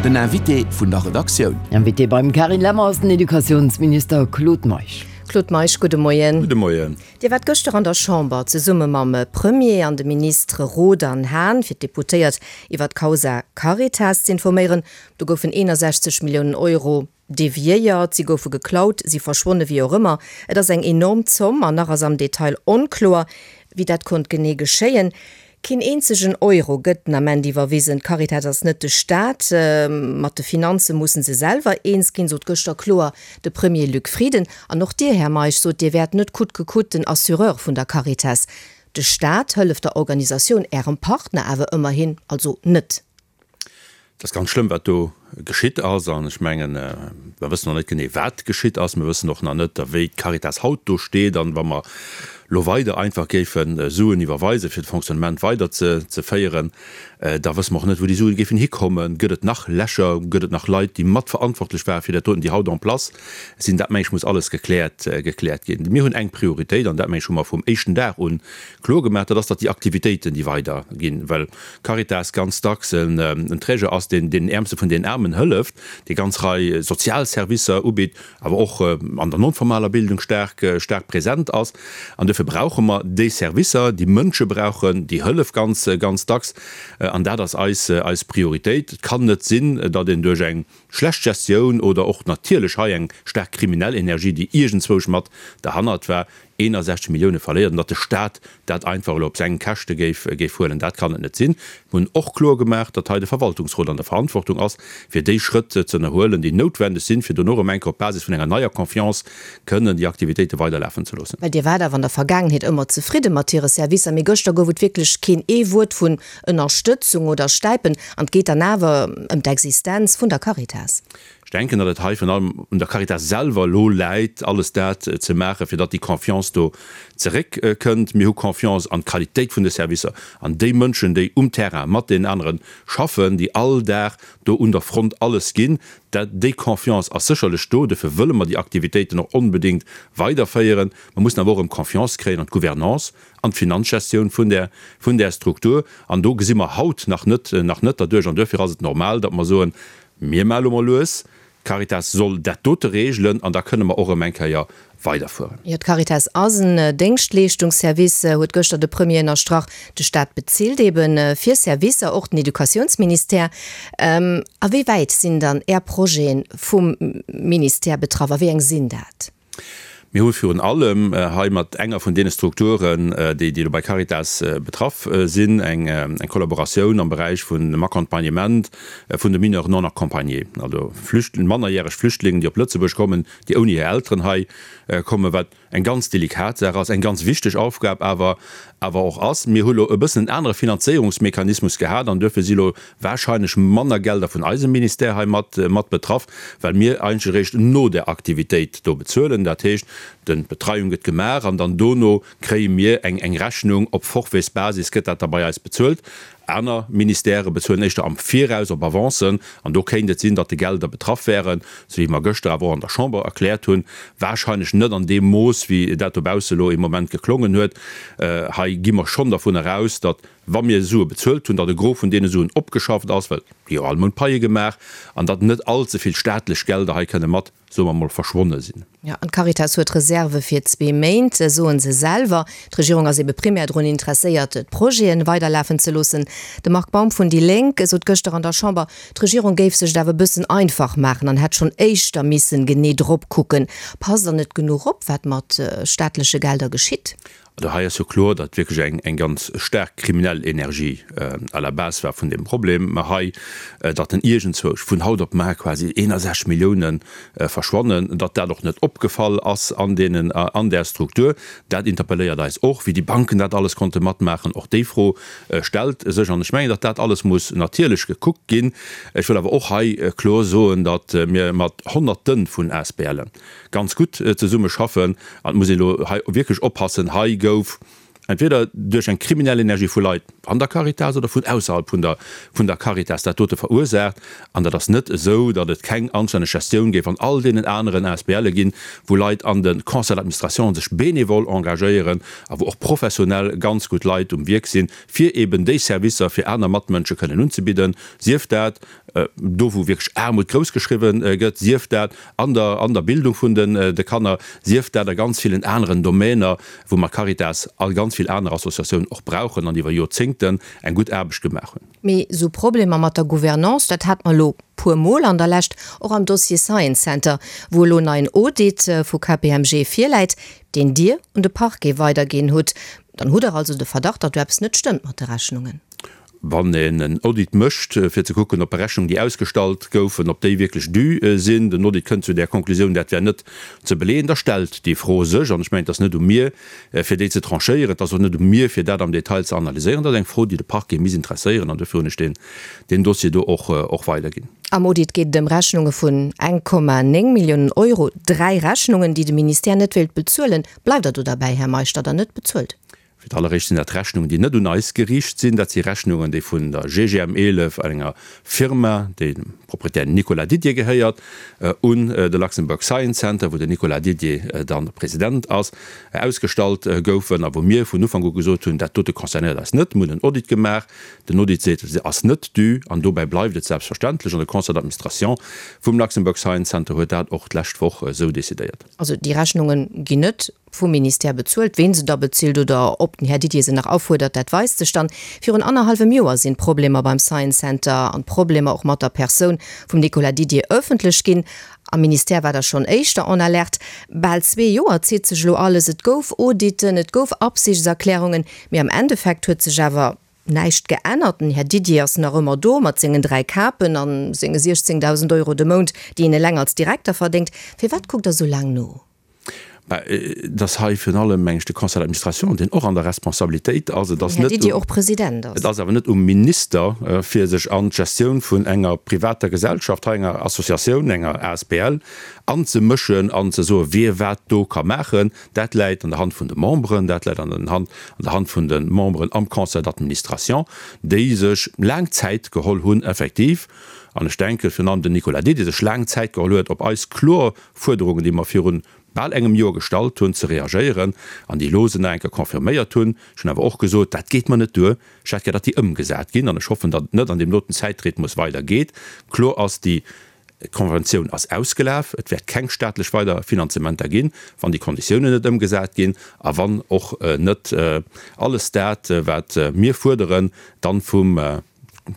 Den Invité vun der Redaktioun. Invité beim Carine Lemmer ass den Educatiounsminister Claude Meisch. Claude Meisch, gudde Moien. Gudde Moien. Dir waart gëschter an der Chamber zesumme mam Premier an de Ministere Roth an Hahn fir d'Deputéiert iwwer d'Causa Caritas z'informéieren. Do goufen 61 Milliounen Euro deviéiert, si goufe geklaut, si verschwonne, wéi och ëmmer. Et ass eng enorm Zomm an nach ass am Detail onkloer, wéi dat konnt genee geschéien. Keen eenzegen Euro gëtt den Ament iwwerwisen. D'Caritas ass net de Staat. Mat de Finanze musse se selwer eens ginn, sot gëschter kloer de Premier Luc Frieden. An och Dir, Här Meisch, sot, Dir wäert net coûte que coûte den Assureur vun der Caritas. De Staat hëlleft der Organisatioun, Ärem Partner, awer ëmmerhin also net. Et ass ganz schlëmm, wat do geschitt ass. An ech mengen, mer wëssen nach net genee, wat geschitt ass. Mir wëssen och nach net, wéi d'Caritas haut do steet. An wa mer elo weider einfach géife Suen iwwerweisen, fir de Fonctionnement weider ze féieren, da wësse mer och net, wou déi Suen géifen hikommen. Gëtt et nach Lächer? Gëtt et nach Leit, déi matverantwortlech ware fir dat doten, déi haut en place sinn? Dat, meng ech, muss alles gekläert, gekläert ginn. Mir hunn eng Prioritéit, an dat, meng ech, hu mer vum éischten Dag un kloer gemaach, dat ass, datt déi Aktivitéiten, déi weider ginn, well Caritas ganz dacks en Träger ass, deen deenen Äermste vun den Aarmen hëlleft, dee ganz Rei sozial Servicer ubitt, awer och an der non-formaler Bildung staark, staark present ass. An duerfir brauche mer déi Servicer, déi Mënsche brauchen déi Hëllef ganz, ganz dacks. An dat ass eis, eis Prioritéit. Et kann net sinn, datt een duerch eng schlecht Gestioun oder och natierlech hei eng staark kriminell Energie, déi iergendzwousch mat derhannert war, 61 Millioune verléiert an datt de Stat dat einfach elo op seng Käschte géif géif huelen, dat kann et net sinn. Mir hunn och kloer gemaach, datt hei de Verwaltungsrot an der Verantwortung ass, fir déi Schrëtt ze ënnerhuelen, déi noutwendeg sinn, fir dono erëm eng Kéier op Basis vun enger neier Confiance kënnen déi Aktivitéite weiderlafen ze loossen. Well Dir waart awer an der Vergaangenheet ëmmer zefridde mat hire Servicer, mee gëschter gouf et wierklech keen ee Wuert vun Ënnerstëtzung oder Stäipen an et geet dann awer ëm d'Existenz vun der Caritas. Ech denken, datt et hei virun allem un der Caritas selwer elo läit, alles dat ze maachen, fir datt déi Confiance do zeréckkënnt. Mir hu Confiance an d'Qualitéit vun de Servicer, an déi Mënschen, déi um Terrain mat deenen anere schaffen, déi all Dag do un der Front alles ginn. Dat, déi Confiance ass sécherlech do. Dofir wëlle mer déi Aktivitéiten och onbedéngt weiderféieren. Mer mussen awer och erëm Confiance kréien an d'Gouvernance, an d'Finanzgestioun vun där, vun där Struktur. An do gesi mer haut nach net, nach net derduerch. An duerfir ass et normal, datt mer soen, Mir maache lo mol lues, d'Caritas soll dat dote regelen an da kënne mer och erëm eng Kéier weiderfueren. Jo, d'Caritas ass en Déngschtleeschtungsservice, huet gëschter de Premier ënnerstrach. De Staat bezilt ebe fir Servicer, och den Educatiounsministère. A wéi wäit sinn dann Är Projete vum Ministère betraff a wéi eng sinn dat? Mir hu virun allem hei mat enger vun deene Strukturen, déi elo bei Caritas betraff sinn, eng Kollaboratioun am Beräich vun dem Accompagnement vun de Mineurs non accompagnés, also mannerjäreg Flüchtlingen, déi op Lëtzebuerg kommen, déi ouni hir Elteren hei kommen, wat eng ganz delikat Saach ass, eng ganz wichteg Aufgab awer awer och ass. Mir hu lo e bëssen en anere Finanzéierungsmechanismus gehat an duerfir si lo wahrscheinlech manner Gelder vun eisem Ministère hei mat mat betraff, well mir eigentlech eréischt no der Aktivitéit do bezuelen. Dat heescht, den d'Betreiung gëtt gemaach an dann dono kréie mir eng eng Rechnung, op Forfaitsbasis gëtt dat da bei eis bezuelt. Aner Ministèrë bezuelen éischter am Viraus op Avancen, an do kéint et sinn, datt de Gelder betraff wären, sou wéi mer gëschter awer och an der Chamber erkläert hunn, wahrscheinlech net an deem Mooss, wéi dat dobausse elo ee Moment geklongen huet. Hei gi mer schonn dervun eraus, datt, wa mir Sue bezuelt hunn, datt e Gros vun deene Suen opgeschafft ass, well gi jo all Mount Paie gemaach, an datt net all ze vill staatlech Gelder hei kënne mat soe mer mol, verschwonne sinn. Jo, an d'Caritas huet Reserve fir zwee Méint, soe se selwer. D'Regierung ass ebe primär drun interesséiert, d'Projete weiderlafen ze loossen. De Marc Baum vun déi Lénk sot gëschter an der Chamber, d'Regierung géif sech et awer e bëssen einfach maachen an hätt schonn éischter missen genee drop kucken. Passt der net genuch op, wat mat staatleche Gelder geschitt? Also hei ass jo kloer, datt wierklech eng eng ganz staark kriminell Energie à la base war vun deem Problem hei, datt en iergendzwousch vun haut op mar quasi 61 Milliounen verschwannen, datt dat och net opgefall ass an deenen an där Struktur. Dat interpelléiert eis och, wéi déi Banken dat alles konnte matmaachen. Och déi Fro stellt sech. An ech mengen, datt dat alles muss natierlech gekuckt ginn. Ech wëll awer och hei kloer soen, datt mir mat Honnerte vun ASBLen, ganz gutt zesumme schaffen an et muss een elo hei wierklech oppassen, hei gouf. Entweder duerch eng kriminell Energie vu Leit an der Caritas oder vun ausserhalb vun der vun der Caritas dat dote verursaacht. An dat ass net esou, datt et keng anstänneg Gestioun géif an all deenen aneren ASBLe ginn, wou Leit an de Conseil d'administration sech bénévol engagéieren a wou och professionell ganz gutt Leit um Wierk sinn, fir eben déi Servicer fir aner Matmënsche kënnen unzebidden, sief dat do wou wierklech Aarmut grouss geschriwwen gëtt, sief dat an der an der Bildung vun den de Kanner, sief dat a ganz villen aneren Domäner, wou mer Caritas a ganz vill aner Associatiounen och brauchen an iwwer Joerzéngten eng gutt Aarbecht gemaach hunn. Mee esou Problemer mat der Gouvernance, dat hat mer elo puer Mol an der Lescht, och am Dossier Science Center, wou elo neien Audit vu KPMG virläit, deen Dir un de Parquet weiderginn hutt. Dann hutt Der also de Verdacht, datt do eppes net stëmmt mat de Rechnungen. Wann een en Audit mécht, fir ze kucken, ob Berechnungen, déi ausgestallt goufen, ob déi wierklech dû sinn, den Audit kënnt zu där Konklusioun, dat wär net ze beleeën, da stellt déi Fro sech. An ech mengen, et ass net u mir, fir déi ze tranchéieren, et ass och net u mir, fir dat am Detail ze analyséieren. Dat ass eng Fro, déi de Parquet misst interesséieren, an dofir hunn ech deen Dossier do och weiderginn. Am Audit geet et ëm Rechnunge vun 1,9 Milliounen Euro, dräi Rechnungen, déi de Ministère net wéilt bezuelen. Bleift Der do derbäi, Här Meisch, datt Der net bezuelt? Fir d'alleréischt sinn dat Rechnungen, déi net un eis geriicht sinn. Dat si Rechnungen, déi vun der GGM 11, enger Firma, déi dem Proprietär Nicolas Didier gehéiert, un de Luxembourg Science Center, wou den Nicolas Didier dann President ass, ausgestallt goufen a wou mir vun Ufank u gesot hunn, dat dote concernéiert eis net. Mir hunn en Audit gemaach. Den Audit seet, se ass net dû an dobäi bleift et selbstverständlech. An de Conseil d'administration vum Luxembourg Science Center huet dat och d'lescht Woch esou decidéiert. Also déi Rechnunge ginn net vum Ministère bezuelt. Ween se da bezilt oder ob den Här Didier se nach afuerdert, dat weist sech dann. Virun annerhallwem Joer sinn d'Problemer beim Science Center an d'Problemer och mat der Persoun vum Nicolas Didier ëffentlech ginn. Am Ministère war der schonn éischter en alerte. Bal zwee Joer zitt sech elo alles. Et gouf Auditen, et gouf Absichtserklärungen, mee am Endeffekt huet sech awer näischt geännert. Den Här Didier ass nach ëmmer do mat sengen 3 Kapen a senge 16.000 Euro de Mount, déi en eleng als Direkter verdéngt. Firwat kuckt Der esou laang no? Mä et ass hei virun allem, meng ech, de Conseil d'administration, deen och an der Responsabilitéit ass. Et ass net um, och President ass. Et ass awer net um Minister, fir sech an d'Gestioun vun enger privater Gesellschaft, hei enger Associatioun, enger asbl, anzemëschen an ze soen, wie wat do ka maachen. Dat läit an der Hand vun de Memberen, dat läit an den Hand, an der Hand vun de Memberen am Conseil d'administration, déi sech laang Zäit geholl hunn, effektiv, an ech denken, virun allem den Nicolas Didier sech laang Zäit geholl huet, op eis kloer Fuerderungen, déi mer virun bal engem Joer gestallt hunn, ze reagéieren an déi elo se nach eng Kéier confirméiert hunn. Ech hunn awer och gesot, dat geet mer net duer, ech hätt gär, datt déi ëmgesat ginn an ech hoffen, datt et net an deem doten Zäitrhythmus weider geet. Kloer ass, déi Konventioun ass ausgelaf, et wäert keng staatlech weider Finanzementer ginn, wann déi Konditiounen net ëmgesat ginn a wann och net alles dat, wat mir fuerderen, dann vum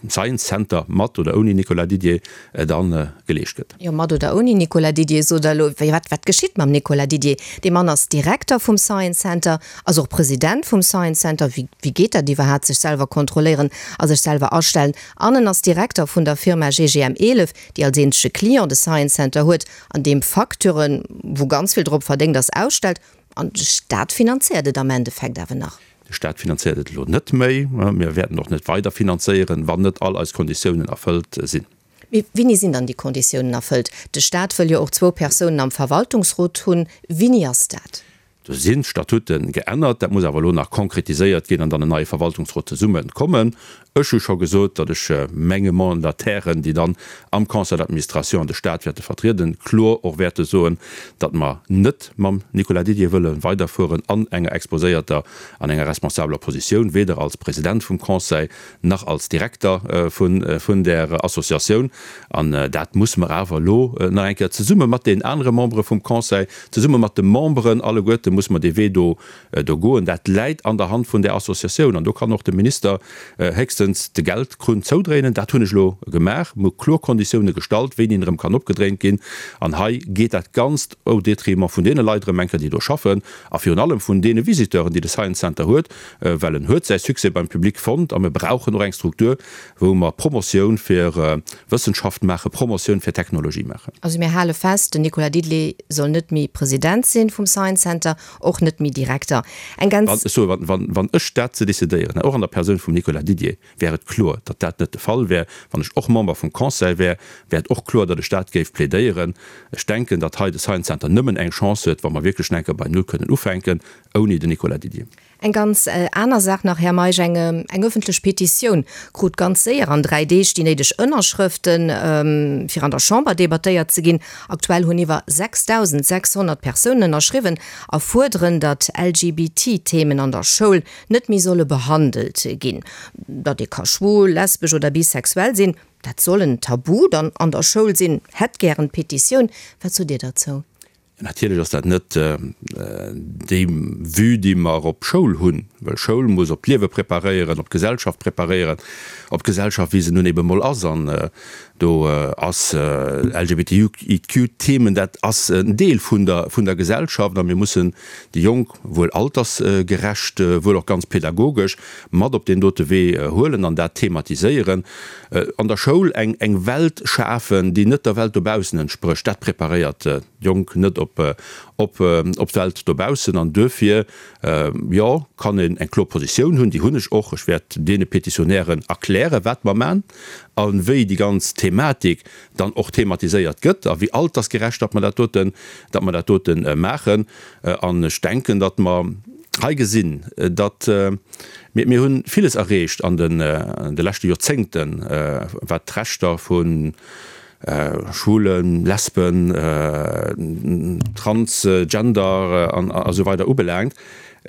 Science Center mat oder ouni Nicolas Didier dann geleescht gëtt. Jo, mat oder ouni Nicolas Didier, sot Der elo. Wéi, wat, wat geschitt mam Nicolas Didier? Dee Mann ass Direkter vum Science Center, ass och President vum Science Center. Wéi, wéi geet dat iwwerhaat, sech selwer kontrolléieren a sech selwer astellen? An en ass Direkter vun der Firma GGM 11, déi als eenzege Client de Science Center huet an deem Facturen, wou ganz vill drop verdéngt ass, ausstellt. An de Staat finanzéiert et am Endeffekt awer nach. De Staat finanzéiert et elo net méi. Mir wäerten och net weider finanzéieren, wann net all eis Konditiounen erfëllt sinn. Mee wéini sinn dann déi Konditiounen erfëllt? De Staat wëll jo och zwou Persounen am Verwaltungsrot hunn. Wéini ass dat? Do sinn d'Statute geännert. Dat muss awer elo nach konkretiséiert ginn an dann en neie Verwaltungsrot zesumme kommen. Ech hu scho gesot, datt ech menge Mandatairen, déi dann am Conseil d'administration de Staat wäerte vertrieden, kloer och wäerte soen, datt mer net mam Nicolas Didier wëlle weiderfueren an enger exposéierter, an enger responsabeler Positioun, weder als President vum Conseil nach als Direkter vun där Associatioun. An dat musse mer awer elo nach eng Kéier zesumme mat deenen anere Membere vum Conseil, zesumme mat de Memberen alleguerte musse mer dee Wee do do goen. Dat läit an der Hand vun där Associatioun an do kann och de Minister héchstens de Geldkrunn zoudréinen. Dat hunn ech elo gemaach. Mir hu kloer Konditioune gestallt, wéini en erëm kann opgedréint ginn. An hei geet dat Ganzt au détriment vun deene Leit erëm eng Kéier, déi do schaffen a virun allem vun deene Visiteuren, déi de Science Center huet, well en huet säi Succès beim Public fonnt a mir brauchen och eng Struktur, wou mer Promotioun fir Wëssenschaft maachen, Promotioun fir Technologie maachen. Also mir hale fest, den Nicolas Didelé soll net méi President sinn vum Science Center. Och net méi Direkter. Eng ganz. Wann, ech soe, wann, wann, wann ech dat ze decidéieren hätt, och an der Persoun vum Nicolas Didier, wär et kloer, datt dat net de Fall wär. Wann ech och Member vum Conseil wär, wär et och kloer, datt ech dat géif plädéieren. Ech denken, datt hei de Science Center nëmmen eng Chance huet, wa mer wierklech enker bei Null kënnen ufänken, ouni den Nicolas Didier. Eng ganz aner Saach nach, Här Meisch, Eng eng ëffentlech Petitioun krut ganz séier an 3 Deeg déi néideg Ënnerschrëften, fir an der Chamber debattéiert ze ginn. Aktuell hunn iwwer 6.600 Persounen ënnerschriwwen a fuerderen, datt LGBT-Themen an der Schoul net méi solle behandelt ginn. Datt ee ka schwul, lesbesch oder bisexuell sinn, dat soll en Tabu dann an der Schoul sinn, hätt gären d'Petitioun. Wat sot Dir derzou? Natierlech ass dat net déi Vue, déi mer op Schoul hunn, well Schoul muss op d'Liewe preparéieren, op d'Gesellschaft preparéieren, op d'Gesellschaft, wéi se nun ebe mol ass. An do ass LGBTIQ-Themen, dat ass en Deel vun der, vun der Gesellschaft. A mir mussen déi Jonk, wuel altersgerecht, wuel och ganz pedagogesch, mat op deen dote Wee huelen an dat thematiséieren. An der Schoul eng, eng Welt schafen, déi net der Welt dobaussen entsprécht, dat preparéiert d'Jonk net op, op, op d'Welt dobaussen. An duerfir, jo, kann een eng kloer Positioun hunn, déi hunn ech och. Ech wäert deene Petitionnairen erklären, wat mer man a wéi déi ganz Thematik dann och thematiséiert gëtt a wéi altersgerecht datt mer dat doten, datt mer dat dote maachen. An ech denken, datt mer hei gesinn, datt mir, mir hu villes erreecht an de leschte Joerzéngten, wat d'Rechter vu Schwulen, Lesben, Transgender an esou weider ubelaangt.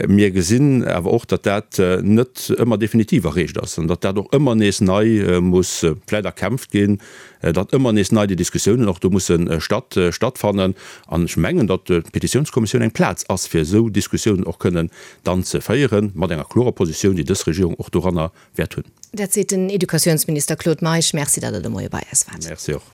Mir gesinn awer och, datt dat net ëmmer definitiv erreecht ass an datt dat och ëmmer nees nei muss vläicht erkämpft ginn, datt ëmmer nees nei déi Diskussiounen och do musse statt stattfannen. An ech mengen, datt d'Petitiounskommissioun eng Plaz ass, fir esou Diskussiounen och kënnen dann ze féieren, mat enger klorer Positioun, déi dës Regierung och doranner wäert hunn. Dat seet den Educatiounsminister Claude Meisch. Merci, datt Der de Moie bei eis waart. Merci och.